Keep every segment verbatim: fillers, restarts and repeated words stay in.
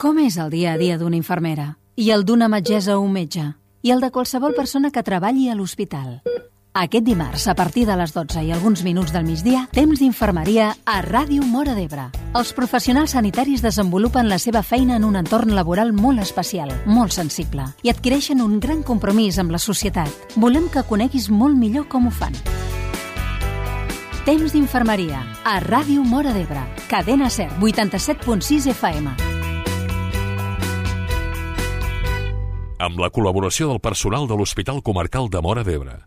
Com és el dia a dia d'una infermera? I el d'una metgessa o un metge? I el de qualsevol persona que treballi a l'hospital? Aquest dimarts, a partir de les dotze i alguns minuts del migdia, temps d'infermeria a Ràdio Móra d'Ebre. Els professionals sanitaris desenvolupen la seva feina en un entorn laboral molt especial, molt sensible, i adquireixen un gran compromís amb la societat. Volem que coneguis molt millor com ho fan. Temps d'infermeria a Ràdio Móra d'Ebre. Cadena SER, vuitanta-set punt sis F M. Amb la col·laboració del personal de l'Hospital Comarcal de Móra d'Ebre.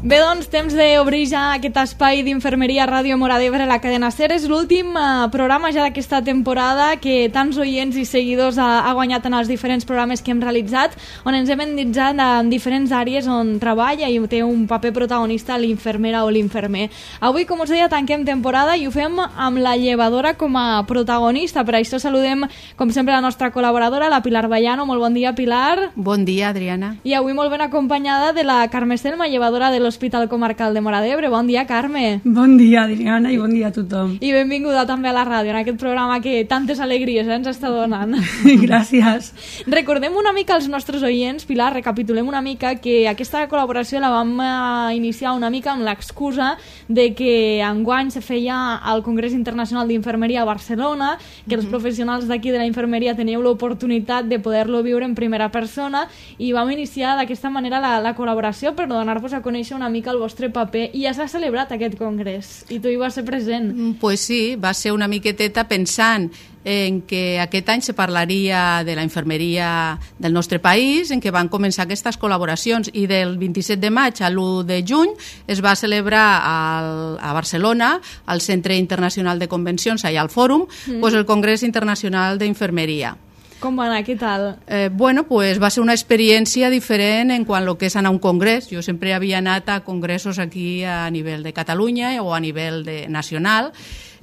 Bé, doncs, temps d'obrir ja aquest espai d'infermeria a Ràdio Móra d'Ebre, la cadena SER. És l'últim eh, programa ja d'aquesta temporada que tants oients i seguidors ha, ha guanyat en els diferents programes que hem realitzat, on ens hem endinsat en diferents àrees on treballa i té un paper protagonista l'infermera o l'infermer. Avui, com us deia, tanquem temporada i ho fem amb la llevadora com a protagonista. Per això saludem, com sempre, la nostra col·laboradora, la Pilar Vallano. Molt bon dia, Pilar. Bon dia, Adriana. I avui molt ben acompanyada de la Carme Selma, llevadora de l'Hospital Hospital Comarcal de Móra d'Ebre. Bon dia, Carme. Bon dia, Adriana, i bon dia a tothom. I benvinguda també a la ràdio, en aquest programa que tantes alegries eh, ens està donant. Gràcies. Recordem una mica als nostres oients, Pilar, recapitulem una mica que aquesta col·laboració la vam eh, iniciar una mica amb l'excusa de que enguany se feia al Congrés Internacional d'Infermeria a Barcelona, que els professionals d'aquí de la infermeria teníeu l'oportunitat de poder-lo viure en primera persona, i vam iniciar d'aquesta manera la, la col·laboració per donar-vos a conèixer una mica el vostre paper, i ja s'ha celebrat aquest congrés i tu hi vas ser present. Pues sí, va ser una miqueteta pensant en que aquest any se parlaria de la infermeria del nostre país, en què van començar aquestes col·laboracions, i del vint-i-set de maig a l'u de juny es va celebrar al, a Barcelona, al Centre Internacional de Convencions, allà al Fòrum, mm. pues el Congrés Internacional d'Infermeria. Com va anar? Què tal? Eh, bueno, pues va ser una experiència diferent en quant a lo que és anar a un congrés. Jo sempre havia anat a congressos aquí a nivell de Catalunya o a nivell de nacional,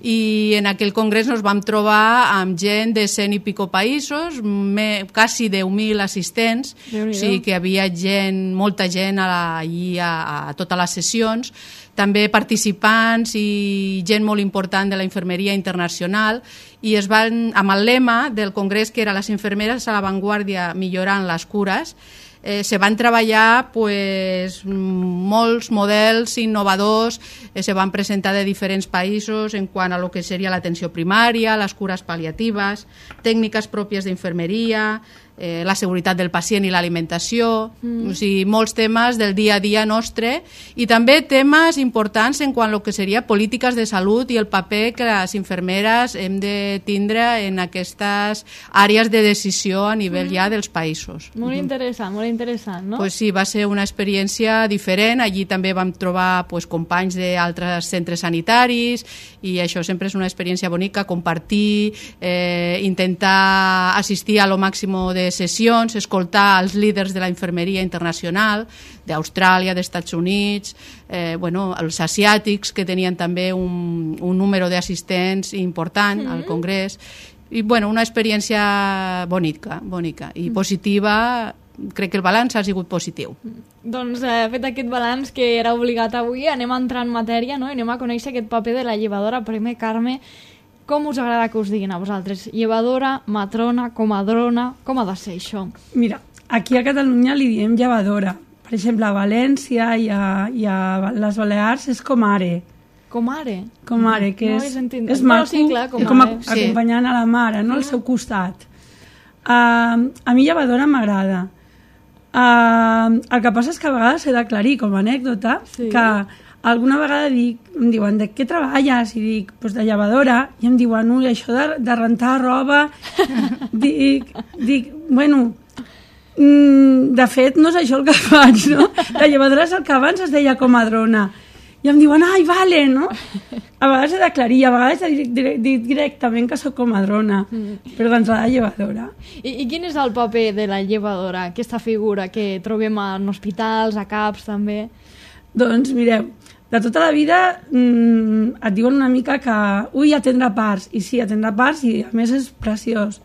i en aquell congrés ens vam trobar amb gent de cent i pico països, me, quasi deu mil assistents, o sigui que hi havia gent, molta gent allí a, a totes les sessions, també participants i gent molt important de la infermeria internacional, i es van, amb el lema del congrés, que era les infermeres a l'avantguàrdia millorant les cures, eh, se van treballar pues, molts models innovadors, eh, se van presentar de diferents països en quant a lo que seria l'atenció primària, les cures pal·liatives, tècniques pròpies d'infermeria, eh, la seguretat del pacient i l'alimentació, mm. o sigui, molts temes del dia a dia nostre, i també temes importants en quant a lo que seria polítiques de salut i el paper que les infermeres hem de tindre en aquestes àrees de decisió a nivell mm. ja dels països. Molt interessant, molt interessant, no? Pues sí, va ser una experiència diferent. Allí també vam trobar pues, companys d'altres centres sanitaris, i això sempre és una experiència bonica, compartir, eh, intentar assistir a lo màxim de sessions, escoltar els líders de la infermeria internacional, d'Austràlia, dels Estats Units, eh, bueno, els asiàtics, que tenien també un, un número d'assistents important mm-hmm. al congrés, i bueno, una experiència bonica, bonica i mm. positiva. Crec que el balanç ha sigut positiu. Doncs eh, fet aquest balanç que era obligat avui, anem a entrar en matèria, no? I anem a conèixer aquest paper de la llevadora. Primer, Carme, com us agrada que us diguin a vosaltres? Llevadora, matrona, comadrona, com ha de ser això? Mira, aquí a Catalunya li diem llevadora. Per exemple, a València i a, i a les Balears és comare. Comare? Comare, que no és, és, és maco, sí, clar, com a, sí. acompanyant a la mare, no? Al seu costat. Uh, a mi llevadora m'agrada. Uh, el que passa és que a vegades he d'aclarir, com a anècdota, sí. que alguna vegada dic, em diuen, de què treballes? I dic, doncs de llevadora. I em diuen, ui, això de, de rentar roba... dic, dic, bueno, mm, de fet no és això el que faig, no? La llevadora és el que abans es deia comadrona. I em diuen, ai, vale, no? A vegades he d'aclarir, a vegades he dit direct, directament que soc comadrona, mm. però d'entrada llevadora. I, I quin és el paper de la llevadora, aquesta figura que trobem en hospitals, a CAPs també? Doncs mireu, de tota la vida mmm, et diuen una mica que ui, atendre parts, i sí, atendre parts, i a més és preciós.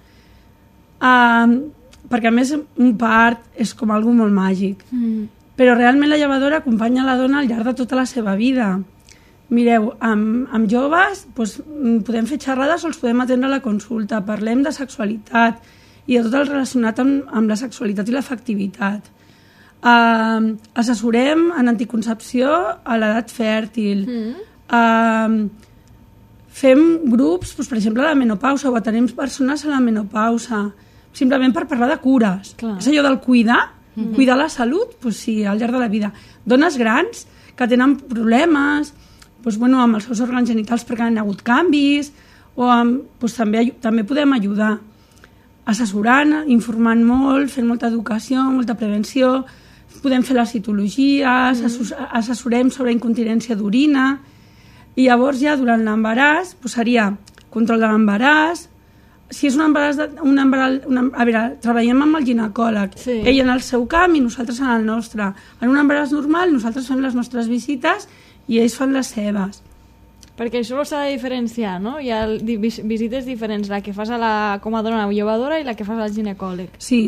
Uh, perquè a més un part és com algo molt màgic. Mm. però realment la llevadora acompanya la dona al llarg de tota la seva vida. Mireu, amb, amb joves doncs, podem fer xerrades o els podem atendre a la consulta, parlem de sexualitat i de tot el relacionat amb, amb la sexualitat i l'afectivitat. Uh, assessorem en anticoncepció a l'edat fèrtil. Mm. Uh, fem grups, doncs, per exemple, a la menopausa, o atenem persones a la menopausa, simplement per parlar de cures. Clar. És allò del cuidar, mm-hmm. cuidar la salut, doncs sí, al llarg de la vida. Dones grans que tenen problemes, doncs, bueno, amb els seus òrgans genitals perquè han hagut canvis, o amb, doncs, també, també podem ajudar assessorant, informant molt, fent molta educació, molta prevenció, podem fer les citologies, mm. assessorem sobre incontinència d'orina, i llavors ja durant l'embaràs doncs seria control de l'embaràs, si és un embaràs, de, un embaràs una, a veure, treballem amb el ginecòleg, sí. ell en el seu camp i nosaltres en el nostre. En un embaràs normal nosaltres fem les nostres visites i ells fan les seves. Perquè això s'ha de diferenciar, no? Hi ha visites diferents, la que fas a la, com a dona llevadora i la que fas al ginecòleg. Sí,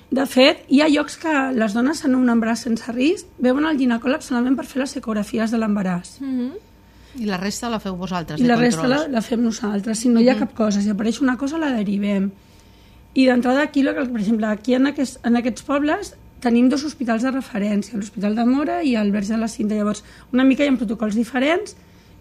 de fet, hi ha llocs que les dones en un embaràs sense risc veuen el ginecòleg solament per fer les ecografies de l'embaràs. Mm-hmm. I la resta la feu vosaltres, I de la controls? resta la, la fem nosaltres. Si no hi ha cap cosa, si apareix una cosa, la derivem. I d'entrada aquí, per exemple, aquí en aquests, en aquests pobles tenim dos hospitals de referència, l'Hospital de Móra i el Verge de la Cinta. Llavors, una mica hi ha protocols diferents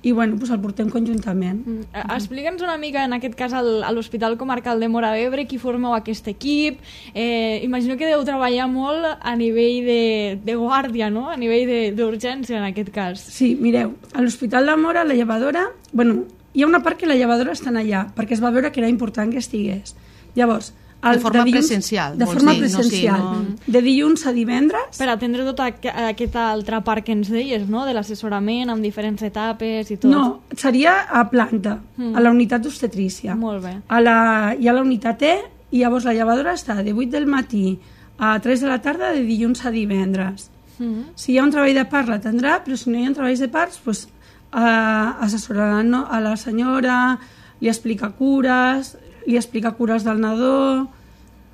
i bueno, doncs el portem conjuntament. Mm. Explica'ns una mica, en aquest cas, al, a l'Hospital Comarcal de Móra d'Ebre, qui formeu aquest equip. Eh, imagino que deu treballar molt a nivell de, de guàrdia, no? A nivell d'urgència, en aquest cas. Sí, mireu, a l'Hospital de Móra, la llevadora... Bueno, hi ha una part que la llevadora està allà, perquè es va veure que era important que estigués. Llavors, el, de forma de dilluns, presencial. De forma dir, presencial. No, sí, no... De dilluns a divendres. Per atendre tota aquesta altra part que ens deies, no? De l'assessorament amb diferents etapes i tot. No, seria a planta, mm. a la unitat d'obstetrícia. Molt bé. A la, hi ha la unitat E i llavors la llevadora està de vuit del matí a tres de la tarda de dilluns a divendres. Mm. Si hi ha un treball de part l'atendrà, però si no hi ha treballs de parts, doncs, eh, assessorarà no, a la senyora, li explica cures, li explica cures del nadó,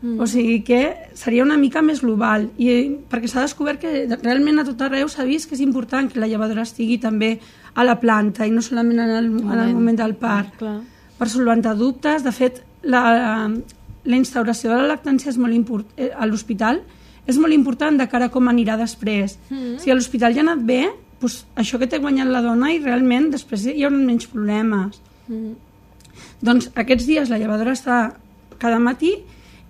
mm. o sigui que seria una mica més global, i perquè s'ha descobert que realment a tot arreu s'ha vist que és important que la llevadora estigui també a la planta i no solament en el, moment. en el moment del part, Clar. per solventar dubtes. De fet, la, la instauració de la lactància és molt import, a l'hospital és molt important de cara a com anirà després. Mm. Si a l'hospital ja ha anat bé, doncs això que té guanyat la dona i realment després hi haurà menys problemes. Mm. Doncs aquests dies la llevadora està cada matí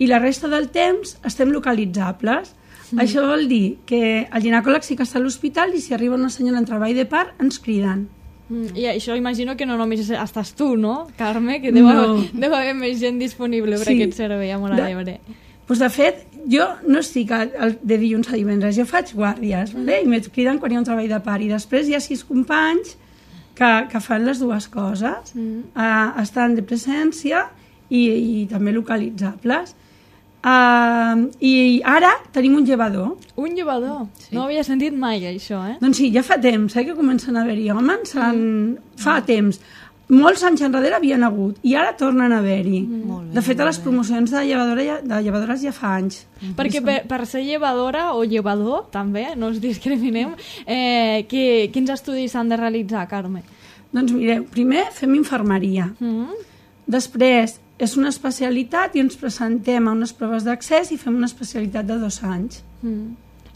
i la resta del temps estem localitzables. Mm. Això vol dir que el ginecòleg sí que està a l'hospital i si arriba una senyora en treball de part ens criden. Mm. I això imagino que no només estàs tu, no, Carme? Que deu, no. haver, deu haver més gent disponible per sí. aquest servei a Móra d'Ebre. Pues de fet, jo no estic de dilluns a divendres, jo faig guàrdies, mm. vale? I me criden quan hi ha un treball de part i després hi ha sis companys Que, que fan les dues coses, mm. uh, estan de presència i, i també localitzables. Uh, I ara tenim un llevador. Un llevador? Sí. No havia sentit mai això, eh? Doncs sí, ja fa temps eh, que comencen a haver-hi homes, mm. fa temps. Molts anys enrere havien hagut i ara tornen a haver-hi. Mm. De fet, a les promocions de, llevadora ja, de llevadores ja fa anys. Mm. Perquè per, per ser llevadora o llevador, també, no us discriminem, eh, que, quins estudis s'han de realitzar, Carme? Doncs mireu, primer fem infermeria. Mm. Després és una especialitat i ens presentem a unes proves d'accés i fem una especialitat de dos anys. Mm.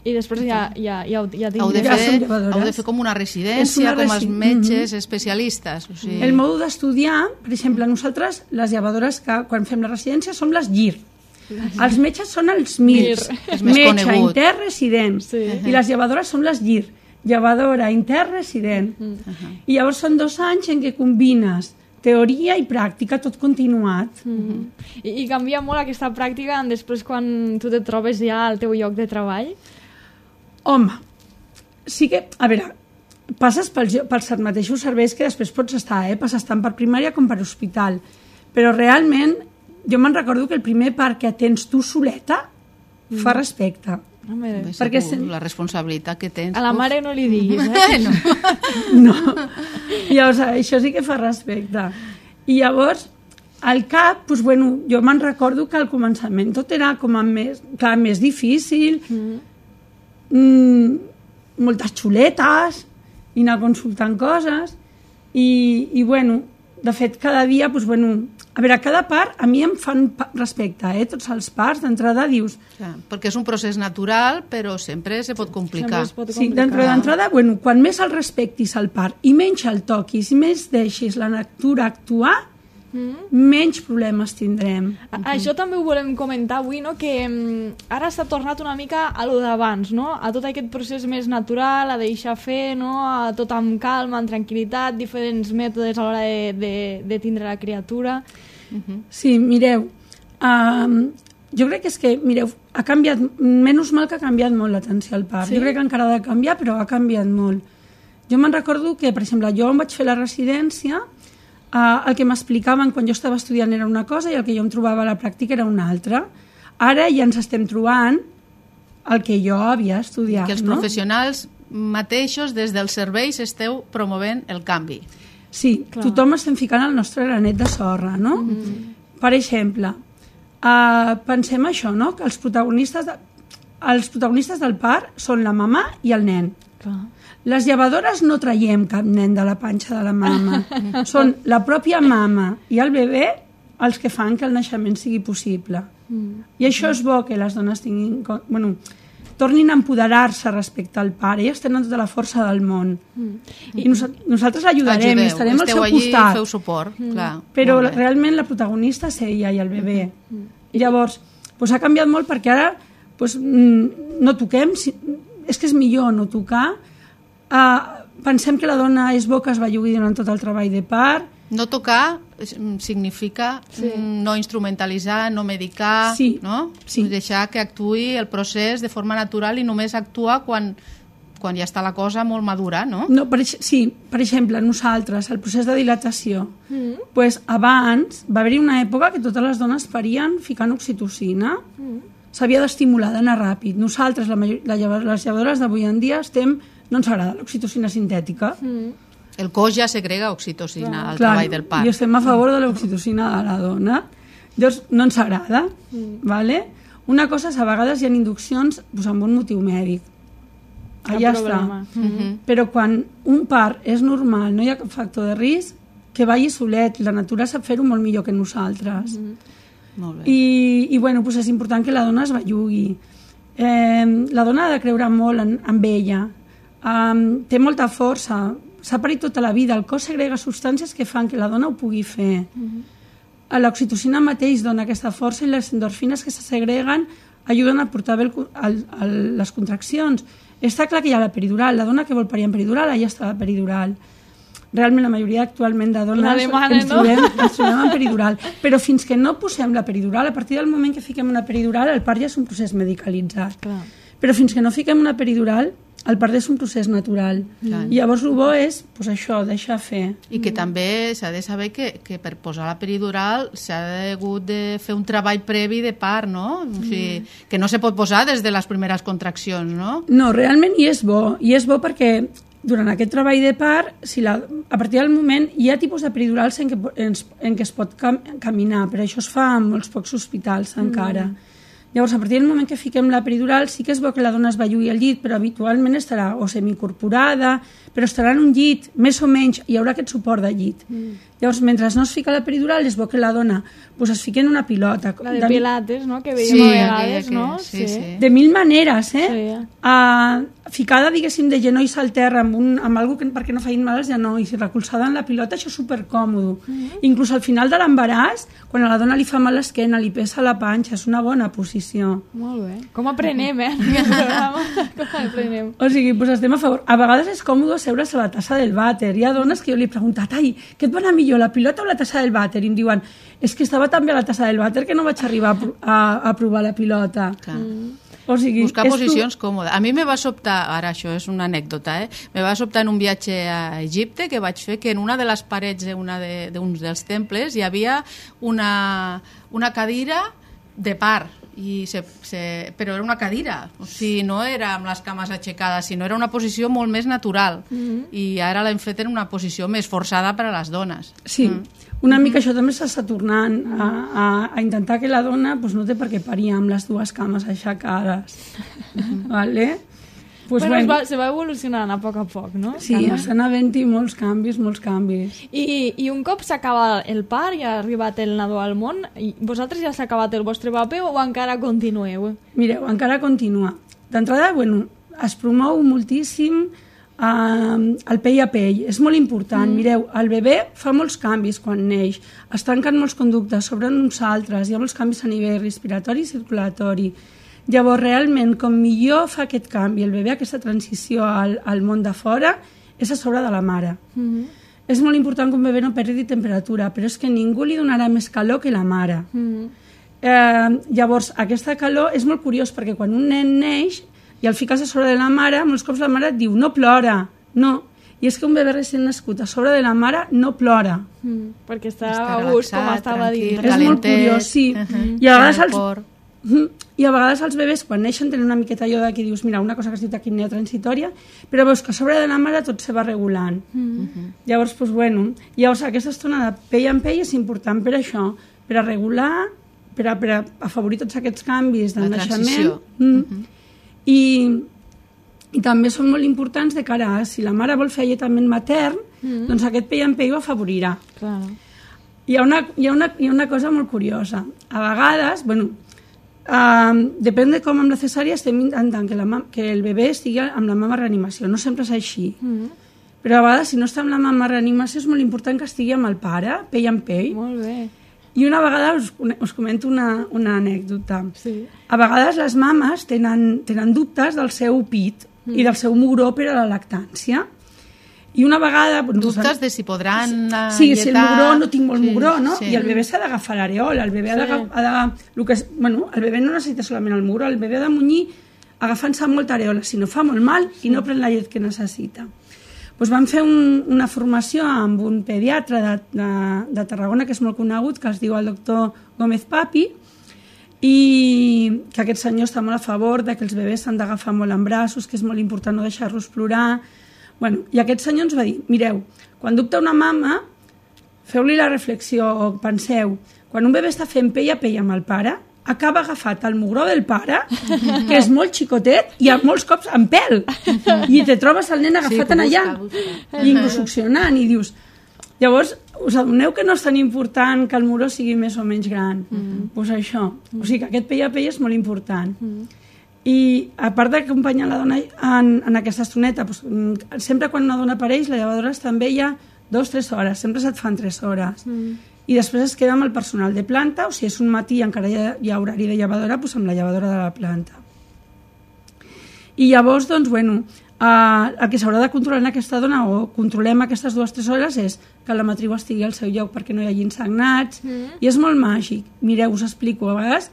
I després ja, ja, ja, ja, heu, de fer, heu de fer com una residència, una resi... com els metges mm-hmm. especialistes. O sigui... El mòdul d'estudiar, per exemple, nosaltres, les llevadores, que quan fem la residència, som les G I R. Els metges són els M I R S, metge intern resident, sí. i les llevadores són les G I R, llevadora intern resident. Uh-huh. I llavors són dos anys en què combines teoria i pràctica, tot continuat. Mm-hmm. I, I canvia molt aquesta pràctica després quan tu te trobes ja al teu lloc de treball? Home, sí que, a veure, passes pels, pels mateixos serveis que després pots estar, eh? Passes tant per primària com per hospital, però realment jo me'n recordo que el primer part que atens tu soleta mm. fa respecte. Home, perquè tu, la responsabilitat que tens... A la mare no li diguis, eh? no. no. Llavors, això sí que fa respecte. I llavors, al cap, doncs, bueno, jo me'n recordo que al començament tot era com a més, clar, més difícil, mm. mm, moltes xuletes i anar consultant coses i, i bueno, de fet cada dia doncs, bueno, a veure, cada part a mi em fan respecte, eh? Tots els parts d'entrada dius... Clar, perquè és un procés natural però sempre se pot complicar, es pot sí, complicar. d'entrada, bueno, quan més el respectis al part i menys el toquis i més deixis la natura actuar, mm. menys problemes tindrem. A Això també ho volem comentar avui, no? Que mm, ara s'ha tornat una mica a lo d'abans, no? A tot aquest procés més natural, a deixar fer, no? A tot amb calma, amb tranquil·litat, diferents mètodes a l'hora de, de, de tindre la criatura. Uh-huh. Sí, mireu, um, jo crec que és que, mireu, ha canviat, menys mal que ha canviat molt l'atenció al part. Sí? Jo crec que encara ha de canviar, però ha canviat molt. Jo me'n recordo que, per exemple, jo em vaig fer la residència, Uh, el que m'explicaven quan jo estava estudiant era una cosa i el que jo em trobava a la pràctica era una altra. Ara ja ens estem trobant el que jo havia estudiat. Que els no? professionals mateixos des dels serveis esteu promovent el canvi. Sí, clar. Tothom estem ficant el nostre granet de sorra, no? Mm-hmm. Per exemple, uh, pensem això, no? Que els protagonistes, de, els protagonistes del part són la mamà i el nen. Clar. Les llevadores no traiem cap nen de la panxa de la mama. Són la pròpia mama i el bebè els que fan que el naixement sigui possible. Mm. I això és bo que les dones tinguin... Bueno, tornin a empoderar-se respecte al pare. Elles tenen tota la força del món. Mm. I nos, nosaltres l'ajudarem, Ajudeu, estarem al seu allí, costat. Feu suport, mm. clar. Però realment la protagonista és ella i el bebè. Mm. I llavors, doncs ha canviat molt perquè ara doncs, no toquem... És que és millor no tocar. Uh, pensem que la dona és bo que es bellugui durant tot el treball de part. No tocar significa sí. no instrumentalitzar, no medicar, sí. no? Sí. Deixar que actuï el procés de forma natural i només actua quan, quan ja està la cosa molt madura, no? No, per, sí, per exemple, nosaltres, el procés de dilatació, mm. pues, abans va haver-hi una època que totes les dones parien ficant oxitocina, mm. s'havia d'estimular, d'anar ràpid. Nosaltres, la major, la, les llevadores d'avui en dia, estem... no ens agrada l'oxitocina sintètica. Mm. El cos ja segrega oxitocina Clar. al Clar, treball del part. I estem a favor de l'oxitocina de la dona. Llavors, no ens agrada. Mm. Vale? Una cosa és, a vegades hi ha induccions doncs, amb un motiu mèdic. Allà està. Mm-hmm. Però quan un part és normal, no hi ha cap factor de risc, que vagi solet. La natura sap fer-ho molt millor que nosaltres. Mm-hmm. Molt bé. I, i bueno, doncs és important que la dona es bellugui. Eh, la dona ha de creure molt en, en ella. Um, té molta força, s'ha parit tota la vida, el cos segrega substàncies que fan que la dona ho pugui fer. Mm-hmm. L'oxitocina mateix dona aquesta força i les endorfines que se segreguen ajuden a portar bé el, el, el, les contraccions. Està clar que hi ha la peridural, la dona que vol parir en peridural, allà està la peridural. Realment la majoria actualment de dones demana, ens, no? trobem, ens trobem en peridural, però fins que no posem la peridural, a partir del moment que fiquem una peridural, el part ja és un procés medicalitzat. Clar. Però fins que no fiquem una peridural, el part és un procés natural. Clar. I llavors el bo és pues, això, deixar fer. I que també s'ha de saber que, que per posar la peridural s'ha hagut de fer un treball previ de part, no? Mm. O sigui, que no se pot posar des de les primeres contraccions, no? No, realment hi és bo. I és bo perquè durant aquest treball de part, si la, a partir del moment, hi ha tipus de peridurals en què, en, en què es pot cam, caminar, però això es fa en molts pocs hospitals encara. Mm. Llavors, a partir del moment que fiquem la peridural, sí que és bo que la dona es bellugui al llit, però habitualment estarà o semicorporada, però estarà en un llit, més o menys, hi haurà aquest suport de llit. Mm. Llavors, mentre no es fica la peridural, és bo que la dona pues, es fiqui en una pilota. La de, de pilates, no?, que veiem sí, a vegades, que, no? Sí, sí. sí. De mil maneres, eh? Sí. Uh, ficada, diguéssim, de genolls al terra amb, un, amb algo que, perquè no facin mal als genolls i recolzada en la pilota, això és supercòmodo. Mm-hmm. Inclús al final de l'embaràs, quan a la dona li fa mal l'esquena, li pesa la panxa, és una bona posició. Molt bé. Com aprenem, eh? En aquest programa. Com aprenem. O sigui, pues estem a favor. A vegades és còmode seure's a la tassa del vàter. Hi ha dones que jo li he preguntat, ai, què et va anar millor, la pilota o la tassa del vàter? I em diuen, és que estava tan bé a la tassa del vàter que no vaig arribar a, a, a provar la pilota. Clar. Mm. O sigui, buscar posicions tu... còmodes. A mi me va sobtar, ara això és una anècdota, eh? me va sobtar en un viatge a Egipte que vaig fer que en una de les parets d'uns de de dels temples hi havia una, una cadira de part. I se, se, però era una cadira, o sigui, no era amb les cames aixecades, sinó era una posició molt més natural. Mm-hmm. I ara l'hem fet en una posició més forçada per a les dones. Sí, mm. una mica això també s'està tornant a, a, a intentar que la dona pues, no té per què parir amb les dues cames aixecades. Mm-hmm. Vale? Pues bueno, bueno, va, se va evolucionant a poc a poc, no? Sí, estan havent-hi molts canvis, molts canvis. I, i un cop s'acaba el part i ha arribat el nadó al món, i vosaltres ja s'ha acabat el vostre paper o encara continueu? Mireu, encara continua. D'entrada, bueno, es promou moltíssim Uh, el pell a pell, és molt important. Mm. Mireu, el bebè fa molts canvis quan neix, es tanquen molts conductes, s'obren uns altres, hi ha molts canvis a nivell respiratori i circulatori. Llavors, realment, com millor fa aquest canvi el bebè, aquesta transició al, al món de fora, és a sobre de la mare. Mm-hmm. És molt important que un bebè no perdi temperatura, però és que ningú li donarà més calor que la mare. Mm-hmm. eh, llavors, aquesta calor és molt curiós, perquè quan un nen neix i el fiques a sobre de la mare, molts cops la mare et diu no plora, no. I és que un bebè recent nascut a sobre de la mare no plora. Mm, perquè està, està a gust, com estava dins. És molt curiós, sí. Uh -huh. I, a vegades els, I a vegades els bebès, quan neixen, tenen una miqueta allò de que dius, mira, una cosa que es diu taquipnea transitòria, però veus que a sobre de la mare tot se va regulant. Uh -huh. Llavors, doncs, bueno, llavors aquesta estona de pell en pell és important per això, per a regular, per a, per a afavorir tots aquests canvis del naixement. Mm. Uh -huh. I, i també són molt importants de cara a si la mare vol fer alletament matern, mm. doncs aquest pell en pell ho afavorirà. Clar. Hi ha, una, hi, ha una, hi ha una cosa molt curiosa. A vegades, bueno, uh, depèn de com amb la cesària estem intentant que, la, que el bebè estigui amb la mama reanimació. No sempre és així. Mm. Però a vegades, si no està amb la mama reanimació, és molt important que estigui amb el pare, pell en pell. Molt bé. I una vegada us, us comento una, una anècdota. Sí. A vegades les mames tenen, tenen dubtes del seu pit mm. i del seu mugró per a la lactància. I una vegada... Dubtes doncs, de si podran alletar... Sí, si el mugró, no tinc molt sí, mugró, no? Sí. I el bebè s'ha d'agafar l'areola. El bebè sí. ha d'agafar... El, que és, bueno, el bebè no necessita solament el mugró, el bebè ha de munyir agafant-se molta areola, si no fa molt mal sí. i no pren la llet que necessita. Doncs vam fer un, una formació amb un pediatre de, de, de Tarragona que és molt conegut, que es diu el doctor Gómez Papi, i que aquest senyor està molt a favor de que els bebès s'han d'agafar molt en braços, que és molt important no deixar-los plorar. Bueno, i aquest senyor ens va dir, mireu, quan dubta una mama, feu-li la reflexió o penseu, quan un bebè està fent pell a pell amb el pare, acaba agafat el mugró del pare, que és molt xicotet, i a molts cops amb pèl. I te trobes el nen agafat en allà, i succionant, i dius... Llavors, us adoneu que no és tan important que el mugró sigui més o menys gran? Doncs pues això. O sigui que aquest pell a pell és molt important. I a part d'acompanyar la dona en, en aquesta estoneta, pues, sempre quan una dona apareix, la llevadora està amb ella dues o tres hores, sempre se't fan tres hores. I després es queda amb el personal de planta, o si és un matí encara hi ha, hi ha horari de llevadora, doncs amb la llevadora de la planta. I llavors, doncs, bueno, eh, el que s'haurà de controlar en aquesta dona, o controlem aquestes dues o tres hores, és que la matriu estigui al seu lloc perquè no hi hagi insagnats, mm. i és molt màgic. Mireu, us explico, a vegades,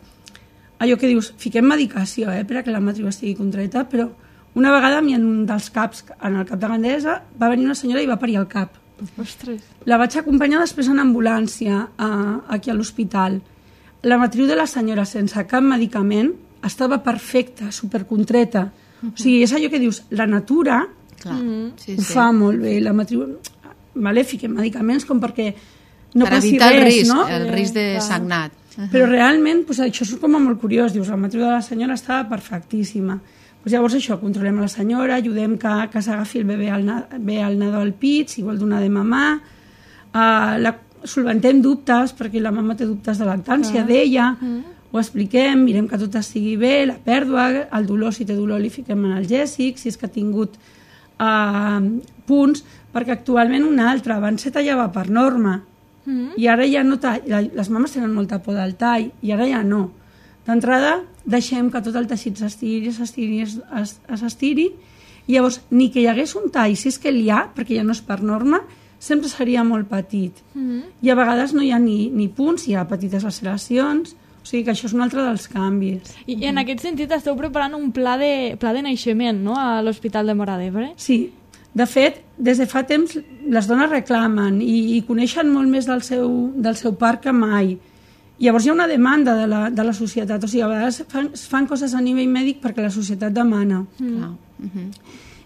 allò que dius, fiquem medicació, eh, per a que la matriu estigui contraeta, però una vegada en un dels caps, en el cap de Gandesa, va venir una senyora i va parir el cap. Ostres. La vaig acompanyar després en ambulància a, aquí a l'hospital. La matriu de la senyora, sense cap medicament, estava perfecta, supercontreta. Uh -huh. O sigui, és allò que dius, la natura Clar, sí, ho sí. fa molt bé. La matriu, vale, fiquem medicaments com perquè no per passi evitar res, el risc, no? el risc de sagnat. Uh -huh. Però realment, pues, això és com molt curiós. Dius, la matriu de la senyora estava perfectíssima. Pues llavors això, controlem a la senyora, ajudem que, que s'agafi el bebè al, bé al nadó al pit, si vol donar de mamar, uh, la, solventem dubtes, perquè la mama té dubtes de lactància ah. d'ella, mm. ho expliquem, mirem que tot estigui bé, la pèrdua, el dolor, si té dolor li fiquem analgèsics, si és que ha tingut uh, punts, perquè actualment una altra, abans se tallava per norma, mm. i ara ja no talla, les mames tenen molta por del tall, i ara ja no. D'entrada, deixem que tot el teixit s'estiri, s'estiri, s'estiri, i llavors, ni que hi hagués un tall, si és que n'hi ha, perquè ja no és per norma, sempre seria molt petit. Mm-hmm. I a vegades no hi ha ni, ni punts, hi ha petites laceracions, o sigui que això és un altre dels canvis. I, i en aquest sentit esteu preparant un pla de, pla de naixement, no?, a l'Hospital de Móra d'Ebre? Sí. De fet, des de fa temps les dones reclamen i, i coneixen molt més del seu, del seu part que mai. Llavors hi ha una demanda de la, de la societat, o sigui, a vegades fan, fan coses a nivell mèdic perquè la societat demana. Mm. Ah. Uh-huh.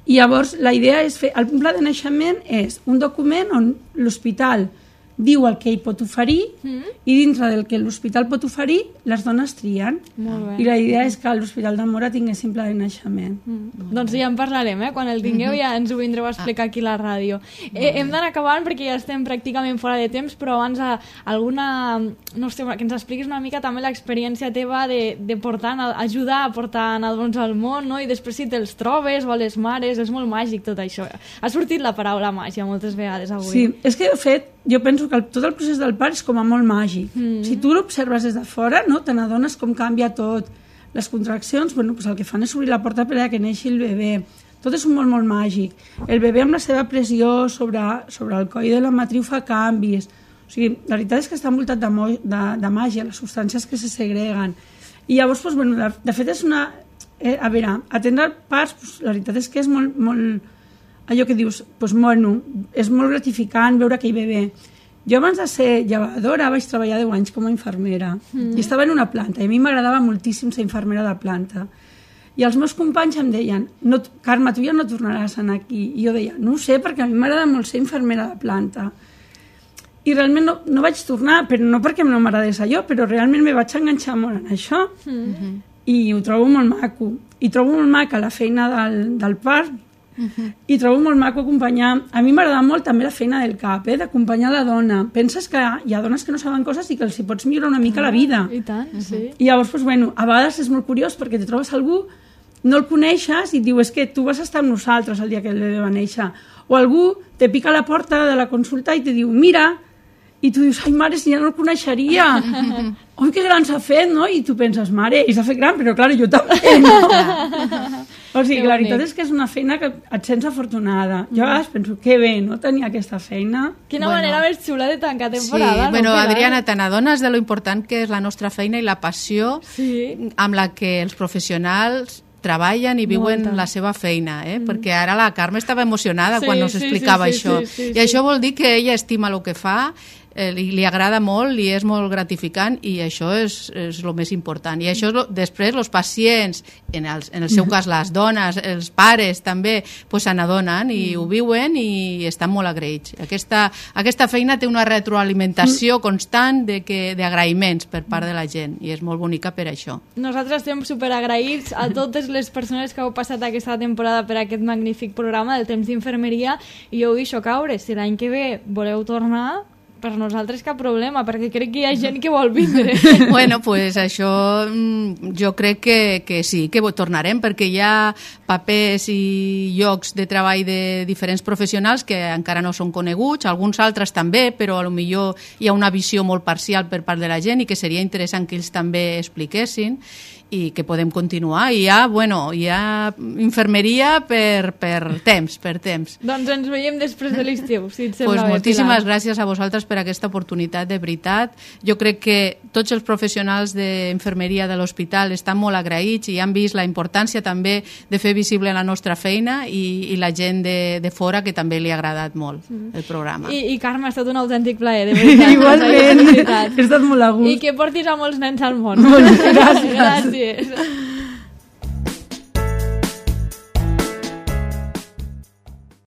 I llavors la idea és fer, el pla de naixement és un document on l'hospital diu el que ell pot oferir mm. i dintre del que l'hospital pot oferir les dones trien. I la idea és que l'Hospital de Móra tingués simple de naixement. Mm. Doncs ja en parlarem, eh? Quan el tingueu ja ens ho vindreu a explicar aquí a la ràdio. Eh, hem d'anar acabant perquè ja estem pràcticament fora de temps, però abans a, alguna... no sé, que ens expliquis una mica també l'experiència teva de, de portar, ajudar a portar nadons al món, no? I després si te'ls trobes o a les mares, és molt màgic tot això. Ha sortit la paraula màgia moltes vegades avui. Sí, és que de fet jo penso que el, tot el procés del part és com a molt màgic. Mm. Si tu l'observes des de fora, no, te n'adones com canvia tot. Les contraccions, bueno, pues el que fan és obrir la porta per a que neixi el bebè. Tot és molt, molt màgic. El bebè amb la seva pressió sobre, sobre el coll de la matriu fa canvis. O sigui, la veritat és que està envoltat de, de, de màgia, les substàncies que se segreguen. I llavors, pues, bueno, de, de fet és una... Eh, a veure, atendre parts, pues, la veritat és que és molt... molt allò que dius, doncs, bueno, és molt gratificant veure aquell bebè. Jo abans de ser llevadora vaig treballar deu anys com a infermera mm. i estava en una planta i a mi m'agradava moltíssim ser infermera de planta. I els meus companys em deien, no, Carme, tu ja no tornaràs a anar aquí. I jo deia, no ho sé, perquè a mi m'agrada molt ser infermera de planta. I realment no, no vaig tornar, però no perquè no m'agradés allò, però realment me vaig enganxar molt en això. Mm-hmm. I ho trobo molt maco. I trobo molt maca la feina del, del part. Uh-huh. I trobo molt maco acompanyar, a mi m'agrada molt també la feina del cap, eh? D'acompanyar la dona. Penses que hi ha dones que no saben coses i que els hi pots millorar una mica ah, la vida i tant, sí. I llavors, doncs, bueno, a vegades és molt curiós perquè te trobes algú, no el coneixes i et diu, és que tu vas estar amb nosaltres el dia que el bebè va néixer, o algú te pica a la porta de la consulta i te diu, mira, i tu dius, ai mare, si ja no el coneixeria. Oi, que gran s'ha fet, no? I tu penses, mare, i s'ha fet gran, però clar, jo també, no? O sigui, la veritat és que és una feina que et sents afortunada. Jo a vegades penso, que bé, no tenir aquesta feina. Quina bueno. manera més xula de tancar temporada. Sí, bueno, no? Adriana, te n'adones de lo important que és la nostra feina i la passió sí. amb la que els professionals treballen i viuen Molta. la seva feina, eh? Mm. perquè ara la Carme estava emocionada sí, quan nos explicava sí, sí, això. Sí, sí, sí, I sí. això vol dir que ella estima el que fa, eh, li, li agrada molt, li és molt gratificant i això és, és el més important. I això lo, després els pacients, en el, en el seu cas les dones, els pares també pues, se n'adonen i mm. ho viuen i estan molt agraïts. Aquesta, aquesta feina té una retroalimentació mm. constant de que, d'agraïments per part de la gent i és molt bonica per això. Nosaltres estem superagraïts a totes les persones que heu passat aquesta temporada per aquest magnífic programa del temps d'infermeria i jo ho deixo caure. Si l'any que ve voleu tornar, per nosaltres cap problema, perquè crec que hi ha gent que vol vindre. Bueno, pues això jo crec que, que sí, que tornarem, perquè hi ha papers i llocs de treball de diferents professionals que encara no són coneguts, alguns altres també, però potser hi ha una visió molt parcial per part de la gent i que seria interessant que ells també expliquessin i que podem continuar. I hi ha, bueno, hi ha infermeria per, per temps, per temps. Doncs ens veiem després de l'estiu, si et sembla pues bé, moltíssimes Pilar. Gràcies a vosaltres per aquesta oportunitat, de veritat. Jo crec que tots els professionals d'infermeria de l'hospital estan molt agraïts i han vist la importància també de fer visible la nostra feina i, i la gent de, de fora que també li ha agradat molt mm. el programa. I, I Carme, ha estat un autèntic plaer, de veritat. Igualment, he estat molt a gust. I que portis a molts nens al món. Moltes gràcies. Gràcies.